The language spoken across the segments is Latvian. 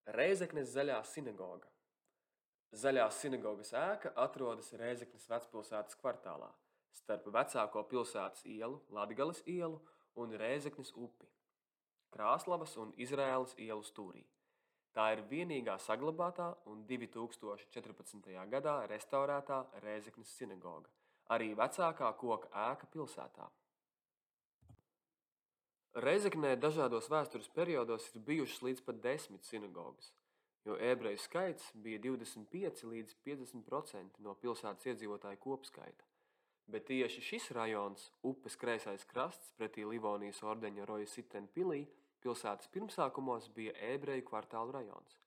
Rēzeknes Zaļā sinagoga. Zaļās sinagogas ēka atrodas Rēzeknes vecpilsētas kvartālā, starp vecāko pilsētas ielu, Latgales ielu un Rēzeknes upi, Krāslavas un Izraēlas ielu stūrī. Tā ir vienīgā saglabātā un 2014. gadā restaurētā Rēzeknes sinagoga, arī vecākā koka ēka pilsētā. Rēzeknē dažādos vēstures periodos ir bijušas līdz pat 10 sinagogas, jo ebreju skaits bija 25 līdz 50% no pilsētas iedzīvotāju kopskaita. Bet tieši šis rajons, upes kreisais krasts pretī Livonijas ordeņa Roja Sitena pilī, pilsētas pirmsākumos bija ebreju kvartālu rajons.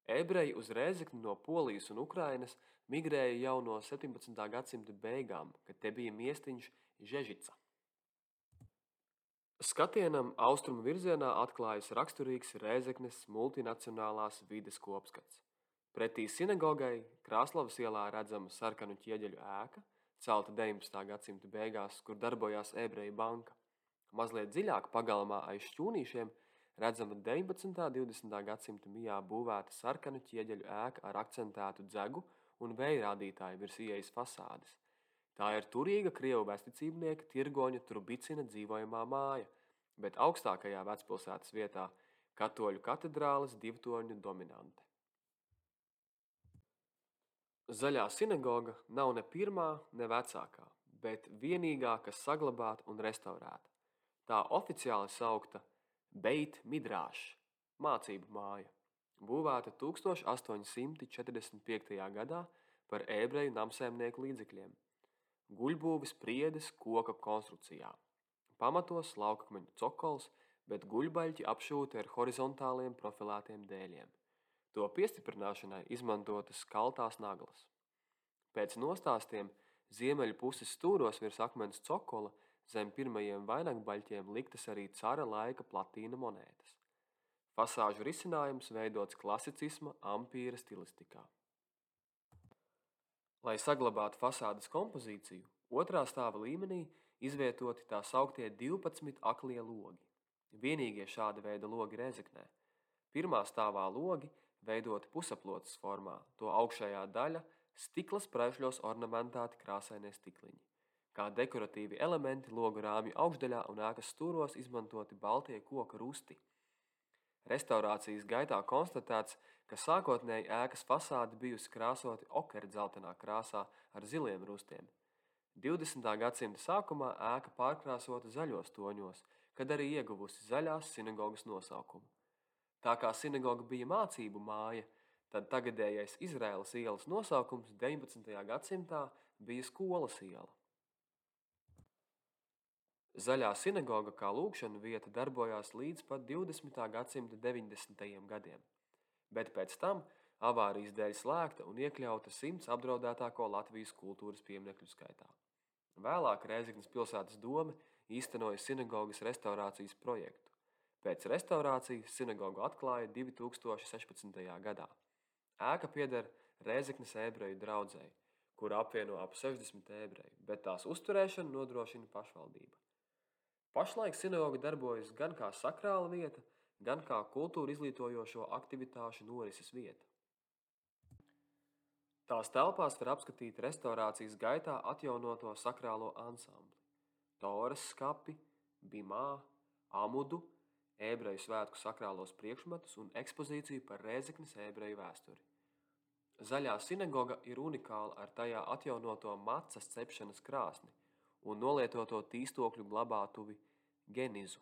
Ebreji uz Rēzekni no Polijas un Ukrainas migrēja jau no 17. gadsimta beigām, kad te bija miestiņš Žežica. Skatienam austrumu virzienā atklājas raksturīgs Rēzeknes multinacionālās vides kopskats. Pretī sinagogai Krāslavas ielā redzama sarkanu ķieģeļu ēka, celta 19. gadsimta beigās, kur darbojās ebreju banka. Mazliet dziļāk pagalmā aiz šķūnīšiem redzama 19. un 20. gadsimta mijā būvēta sarkanu ķieģeļu ēka ar akcentētu dzegu un vējrādītāju virs ieejas fasādes. Tā ir turīga krievu vēstnicībnieka Tirgoņa Trubicina dzīvojamā māja, bet augstākajā vecpilsētas vietā katoļu katedrāles divtorņu dominante. Zaļā sinagoga nav ne pirmā, ne vecākā, bet vienīgā, kas saglabāta un restaurēta. Tā oficiāli saukta Beit Midrāš, mācību māja, būvēta 1845. gadā par ebreju namsēmnieku līdzekļiem. Guļbūves priedes koka konstrukcijā. Pamatos laukakmeņu cokols, bet guļbaļķi apšūti ar horizontāliem profilētiem dēļiem. To piestiprināšanai izmantotas kaltās naglas. Pēc nostāstiem ziemeļu puses stūros virs akmens cokola zem pirmajiem vainagbaļķiem liktas arī cara laika platīna monētas. Fasāžu risinājums veidots klasicisma ampīra stilistikā. Lai saglabātu fasādes kompozīciju, otrā stāva līmenī izvietoti tā sauktie 12 aklie logi. Vienīgie šāda veida logi Rēzeknē. Pirmā stāvā logi veidoti pusaplotes formā, to augšējā daļa stikla spraižļos ornamentēti krāsainie stikliņi. Kā dekoratīvi elementi logu rāmju augšdaļā un ēkas stūros izmantoti baltie koka rusti. Restaurācijas gaitā konstatēts, ka sākotnēji ēkas fasāde bijusi krāsoti okerdzeltenā krāsā ar ziliem rustiem. 20. gadsimta sākumā ēka pārkrāsota zaļos toņos, kad arī ieguvusi zaļās sinagogas nosaukumu. Tā kā sinagoga bija mācību māja, tad tagadējais Izraēlas ielas nosaukums 19. gadsimtā bija skolas iela. Zaļā sinagoga kā lūgšanu vieta darbojās līdz pat 20. gadsimta 90. gadiem, bet pēc tam avārijas dēļ slēgta un iekļauta 100 apdraudētāko Latvijas kultūras pieminekļu skaitā. Vēlāk Rēzeknes pilsētas dome īstenoja sinagogas restaurācijas projektu. Pēc restaurācijas sinagogu atklāja 2016. gadā. Ēka pieder Rēzeknes ebreju draudzei, kura apvieno ap 60 ebreju, bet tās uzturēšanu nodrošina pašvaldība. Pašlaik sinagoga darbojas gan kā sakrāla vieta, gan kā kultūru izglītojošo aktivitāšu norises vieta. Tās telpās var apskatīt restaurācijas gaitā atjaunoto sakrālo ansambli, Toras skapi, bimā, amudu, ebreju svētku sakrālos priekšmetus un ekspozīciju par Rēzeknes ebreju vēsturi. Zaļā sinagoga ir unikāla ar tajā atjaunoto macas cepšanas krāsni un nolietoto tīstokļu glabātuvi Genizu.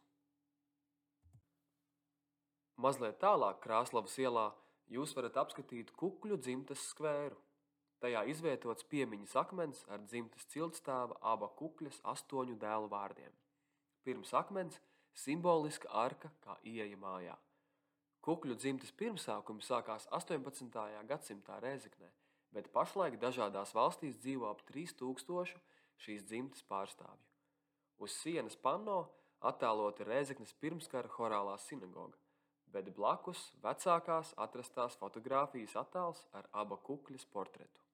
Mazliet tālāk Krāslavas ielā jūs varat apskatīt Kukļu dzimtes skvēru. Tajā izvietots piemiņas akmens ar dzimtes ciltstāva aba Kukļas 8 dēlu vārdiem. Pirms akmens simboliska arka kā ieeja mājā. Kukļu dzimtes pirmsākumi sākās 18. gadsimtā Rēzeknē, bet pašlaik dažādās valstīs dzīvo ap 3000 šīs dzimtes pārstāvju. Uz sienas panno attēlota Rēzeknes pirmskara horālā sinagoga, bet blakus vecākās atrastās fotogrāfijas attēls ar aba Kukļas portretu.